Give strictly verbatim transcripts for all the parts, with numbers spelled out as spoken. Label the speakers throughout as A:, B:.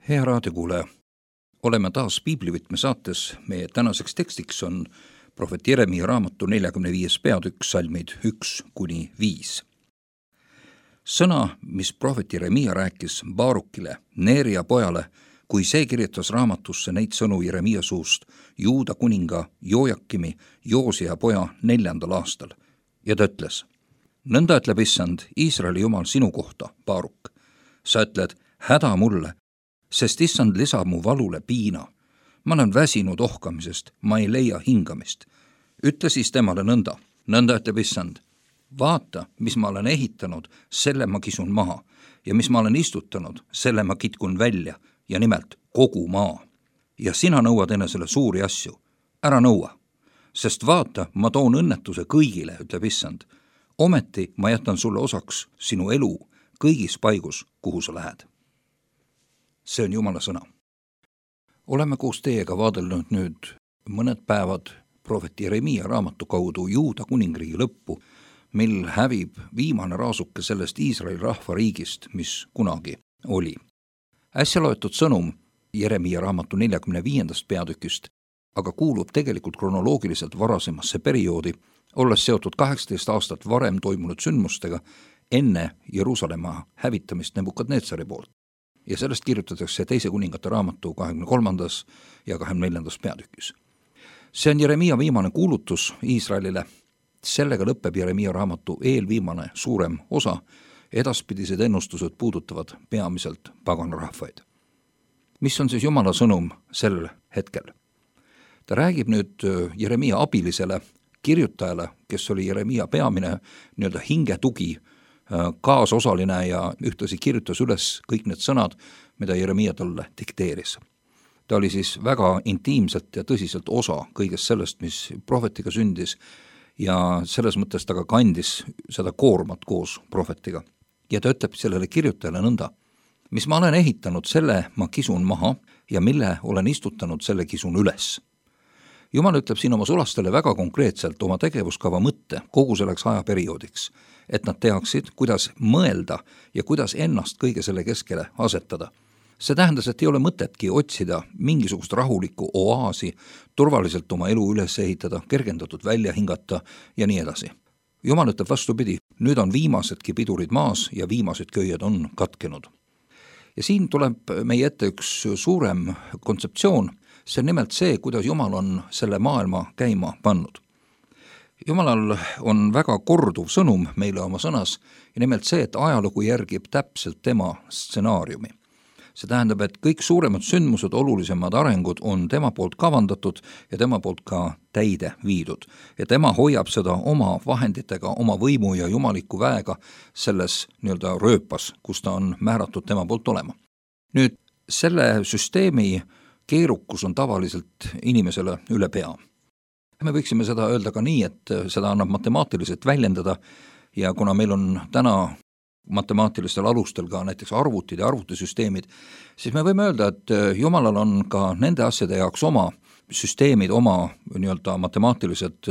A: Hea raadiokuulaja, oleme taas Piiblivõtme saates. Meie tänaseks tekstiks on prohvet Jeremia raamatu neljakümne viies peatükk, salmid üks kuni viis. Sõna, mis prohvet Jeremia rääkis Baarukile, Neeria pojale, kui see kirjutas raamatusse neid sõnu Jeremia suust Juuda kuninga Jojakimi, Joosia poja neljandal aastal. Ja ta ütles, nõnda ütleb issand, Iisraeli jumal sinu kohta, Baaruk. Sa ütled, häda mulle, sest issand lisab mu valule piina. Ma olen väsinud ohkamisest, ma ei leia hingamist. Ütle siis temale nõnda, nõnda ütleb issand. Vaata, mis ma olen ehitanud, selle ma kisun maha, ja mis ma olen istutanud, selle ma kitkun välja, ja nimelt kogu maa. Ja sina nõuad enesele suuri asju, ära nõua, sest vaata, ma toon õnnetuse kõigile, ütleb issand. Ometi ma jätan sulle osaks sinu elu kõigis paigus, kuhu sa lähed. See on Jumala sõna. Oleme koos teiega vaadelnud nüüd mõned päevad prohvet Jeremia raamatu kaudu Juuda kuningriigi lõppu, mil hävib viimane raasuke sellest Iisraeli rahvariigist, mis kunagi oli. Äsja loetud sõnum Jeremia raamatu neljakümne viiendast peatükist, aga kuulub tegelikult kronoloogiliselt varasemasse perioodi, olles seotud kaheksateist aastat varem toimunud sündmustega enne Jeruusalemma hävitamist Nebukadnetsari poolt. Ja sellest kirjutatakse teise kuningate raamatu kahekümne kolmandas ja kahekümne neljandas peatükis. See on Jeremia viimane kuulutus Iisraelile. Sellega lõpeb Jeremia raamatu eelviimane suurem osa. Edaspidised ennustused puudutavad peamiselt paganrahvaid. Mis on siis Jumala sõnum sel hetkel? Ta räägib nüüd Jeremia abilisele kirjutajale, kes oli Jeremia peamine nii-öelda hingetugi, kaasosaline ja ühtlasi kirjutas üles kõik need sõnad, mida Jeremia talle dikteeris. Ta oli siis väga intiimselt ja tõsiselt osa kõigest sellest, mis prohvetiga sündis ja selles mõttes ta ka kandis seda koormat koos prohvetiga. Ja ta ütleb sellele kirjutajale nõnda, mis ma olen ehitanud, selle ma kisun maha ja mille olen istutanud, selle kisun üles. Jumal ütleb siin oma sulastele väga konkreetselt oma tegevuskava mõtte kogu selleks ajaperioodiks, et nad teaksid, kuidas mõelda ja kuidas ennast kõige selle keskele asetada. See tähendas, et ei ole mõtetki otsida mingisugust rahulikku oaasi, turvaliselt oma elu üles ehitada, kergendatud välja hingata ja nii edasi. Jumal ütleb vastupidi, nüüd on viimasedki pidurid maas ja viimased köied on katkenud. Ja siin tuleb meie ette üks suurem kontseptsioon, see on nimelt see, kuidas Jumal on selle maailma käima pannud. Jumalal on väga korduv sõnum meile oma sõnas ja nimelt see, et ajalugu järgib täpselt tema stsenaariumi. See tähendab, et kõik suuremad sündmused, olulisemad arengud on tema poolt kavandatud ja tema poolt ka täide viidud. Ja tema hoiab seda oma vahenditega, oma võimu ja jumaliku väega selles nii-öelda rööpas, kus ta on määratud tema poolt olema. Nüüd selle süsteemi keerukus on tavaliselt inimesele üle pea. Me võiksime seda öelda ka nii, et seda annab matemaatiliselt väljendada ja kuna meil on täna matemaatilistel alustel ka näiteks arvutid ja arvutisüsteemid, siis me võime öelda, et Jumalal on ka nende asjade jaoks oma süsteemid, oma nii-öelda matemaatilised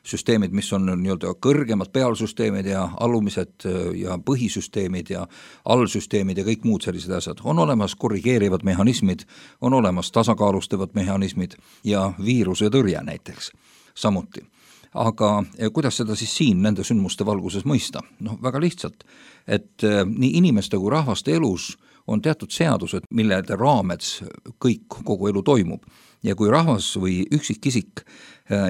A: süsteemid, mis on nii-öelda kõrgemad pealsüsteemid ja alumised ja põhisüsteemid ja allsüsteemid ja kõik muud sellised asjad. On olemas korrigeerivad mehhanismid, on olemas tasakaalustavad mehhanismid ja viiruse tõrje näiteks samuti. Aga kuidas seda siis siin nende sündmuste valguses mõista? No väga lihtsalt, et nii inimeste kui rahvaste elus on teatud seadused, millede raameds kõik, kogu elu toimub. Ja kui rahvas või üksikisik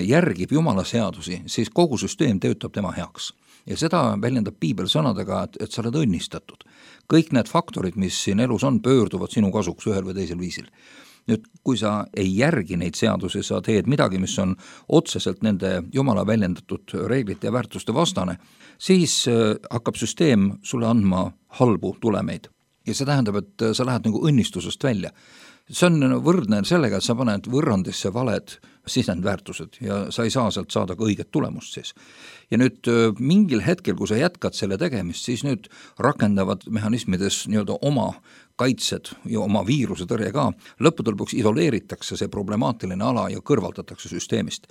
A: järgib Jumala seadusi, siis kogu süsteem töötab tema heaks. Ja seda väljendab Piibel sõnadega, et, et sa oled õnnistatud. Kõik need faktorid, mis siin elus on, pöörduvad sinu kasuks ühel või teisel viisil. Nüüd, kui sa ei järgi neid seadusi, sa teed midagi, mis on otseselt nende Jumala väljendatud reeglite ja väärtuste vastane, siis hakkab süsteem sulle andma halbu tulemeid. Ja see tähendab, et sa lähed nagu õnnistusest välja. See on võrdne sellega, et sa paned võrrandisse valed sisendväärtused ja sa ei saa sealt saada ka õiget tulemust siis. Ja nüüd mingil hetkel, kui sa jätkad selle tegemist, siis nüüd rakendavad mehhanismides nii-öelda oma kaitsed ja oma viiruse tõrje ka. Lõppude lõpuks isoleeritakse see problemaatiline ala ja kõrvaldatakse süsteemist.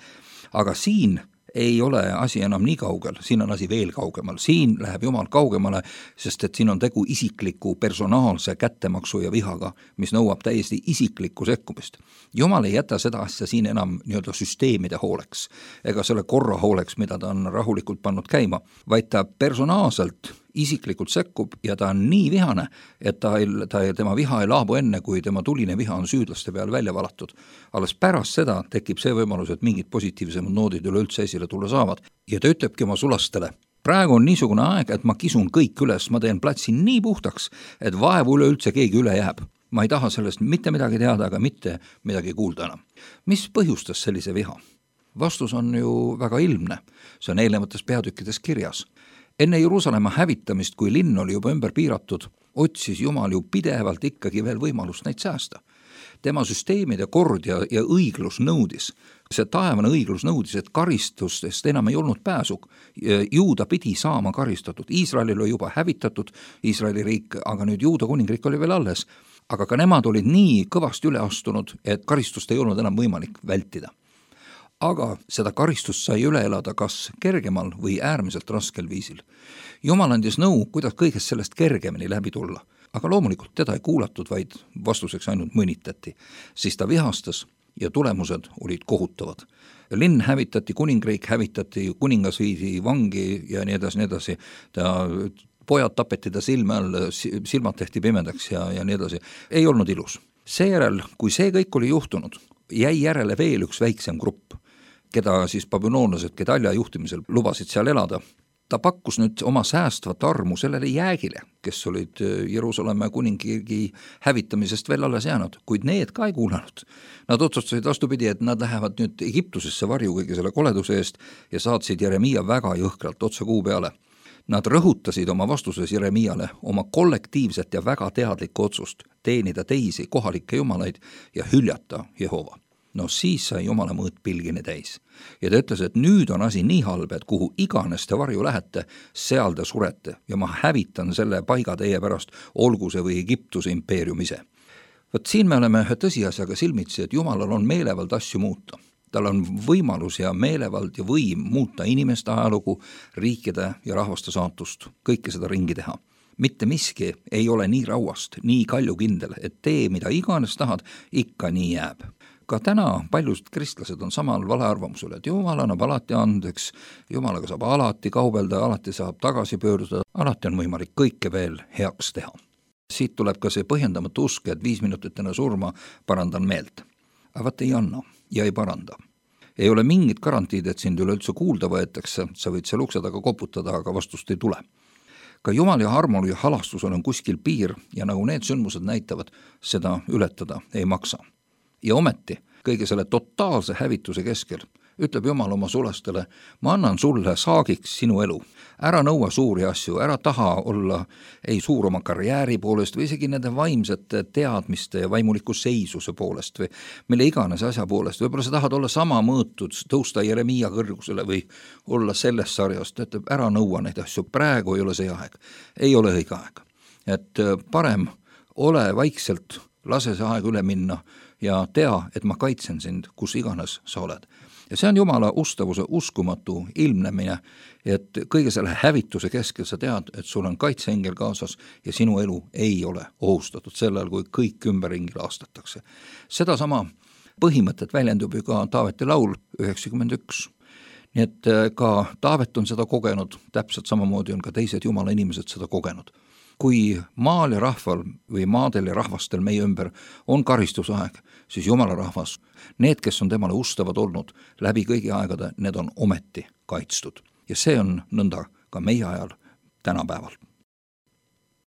A: Aga siin ei ole asi enam nii kaugel, siin on asi veel kaugemal, siin läheb Jumal kaugemale, sest et siin on tegu isikliku personaalse kättemaksu ja vihaga, mis nõuab täiesti isiklikku sekkumist. Jumal ei jäta seda asja siin enam nii-öelda süsteemide hooleks, ega selle korra hooleks, mida ta on rahulikult pannud käima, vaid ta personaalselt isiklikult sekkub ja ta on nii vihane, et ta ei, ta ei, tema viha ei laabu enne, kui tema tuline viha on süüdlaste peal välja valatud. Alles pärast seda tekib see võimalus, et mingid positiivsemad noodid üleüldse esile tulla saavad. Ja ta ütlebki oma sulastele, praegu on niisugune aeg, et ma kisun kõik üles, ma teen platsi nii puhtaks, et vaevu üleüldse keegi üle jääb. Ma ei taha sellest mitte midagi teada, aga mitte midagi kuulda enam. Mis põhjustas sellise viha? Vastus on ju väga ilmne. See on eelnevates peatükkides kirjas. Enne Jeruusalemma hävitamist, kui linn oli juba ümber piiratud, otsis Jumal ju pidevalt ikkagi veel võimalust neid säästa. Tema süsteemide kord ja, ja õiglus nõudis, see taevane õiglus nõudis, et karistustest enam ei olnud pääsu. Juuda pidi saama karistatud. Iisraelil oli juba hävitatud Iisraeli riik, aga nüüd Juuda kuningriik oli veel alles. Aga ka nemad olid nii kõvasti üle astunud, et karistust ei olnud enam võimalik vältida. Aga seda karistust sai üle elada kas kergemal või äärmiselt raskel viisil. Jumal andis nõu, kuidas kõigest sellest kergemini läbi tulla, aga loomulikult teda ei kuulatud, vaid vastuseks ainult mõnitati. Siis ta vihastas ja tulemused olid kohutavad. Linn hävitati, kuningriik hävitati, kuningas viidi vangi ja nii edasi, nii edasi. Ta pojad tapeti ta silme all, silmad tehti pimedaks ja, ja nii edasi. Ei olnud ilus. Seejärel, kui see kõik oli juhtunud, jäi järele veel üks väiksem grupp, keda siis babüloonlased Gedalja juhtimisel lubasid seal elada. Ta pakkus nüüd oma säästvat armu sellele jäägile, kes olid Jeruusalemma kuningriigi hävitamisest veel alles jäänud, kuid need ka ei kuulanud. Nad otsustasid vastupidi, et nad lähevad nüüd Egiptusesse varju kõige selle koleduse eest ja saatsid Jeremia väga jõhkralt otse kuu peale. Nad rõhutasid oma vastuses Jeremiale oma kollektiivset ja väga teadlikku otsust teenida teisi kohalikke jumalaid ja hüljata Jehova. No siis sai Jumala mõõt pilgini täis. Ja ta ütles, et nüüd on asi nii halb, et kuhu iganes te varju lähete, seal te surete ja ma hävitan selle paiga teie pärast, olgu see või Egiptuse impeerium ise. Võt siin me oleme ühe tõsiasjaga silmitsi, et Jumalal on meelevald asju muuta. Tal on võimalus ja meelevald ja võim muuta inimeste ajalugu, riikide ja rahvaste saatust, kõike seda ringi teha. Mitte miski ei ole nii rauast, nii kaljukindel, et tee, mida iganes tahad, ikka nii jääb. Ka täna paljud kristlased on samal valearvamusel, et Jumal annab alati andeks, Jumalaga saab alati kaubelda, alati saab tagasi pöörduda, alati on võimalik kõike veel heaks teha. Siit tuleb ka see põhjendamatu usk, et viis minutit enne surma parandan meelt. Aga vaat ei anna ja ei paranda. Ei ole mingit garantiid, et sind üleüldse kuulda võetakse, sa võid seal ukse taga koputada, aga vastust ei tule. Ka Jumal ja armul ja halastusel on kuskil piir ja nagu need sündmused näitavad, seda ületada ei maksa. Ja ometi, kõige selle totaalse hävituse keskel, ütleb Jumal oma sulastele, ma annan sulle saagiks sinu elu. Ära nõua suuri asju, ära taha olla ei suur oma karjääri poolest või isegi nende vaimsete teadmiste ja vaimuliku seisuse poolest või mille iganes asja poolest. Võib-olla sa tahad olla sama mõõtud, tõusta Jeremia kõrgusele või olla selles sarjast, ütleb, ära nõua neid asju, praegu ei ole see aeg, ei ole õige aeg. Et parem ole vaikselt, lase see aeg üle minna ja tea, et ma kaitsen sind, kus iganes sa oled. Ja see on Jumala ustavuse uskumatu ilmnemine, et kõige selle hävituse keskel sa tead, et sul on kaitseengel kaasas ja sinu elu ei ole ohustatud sellel, kui kõik ümberringi laastatakse. Seda sama põhimõtet väljendub ju ka Taaveti laul üheksakümmend üks. Nii et ka Taavet on seda kogenud, täpselt samamoodi on ka teised Jumala inimesed seda kogenud. Kui maal ja rahval või maadel ja rahvastel meie ümber on karistusaeg, siis Jumala rahvas, need, kes on temale ustavad olnud läbi kõigi aegade, need on ometi kaitstud. Ja see on nõnda ka meie ajal tänapäeval.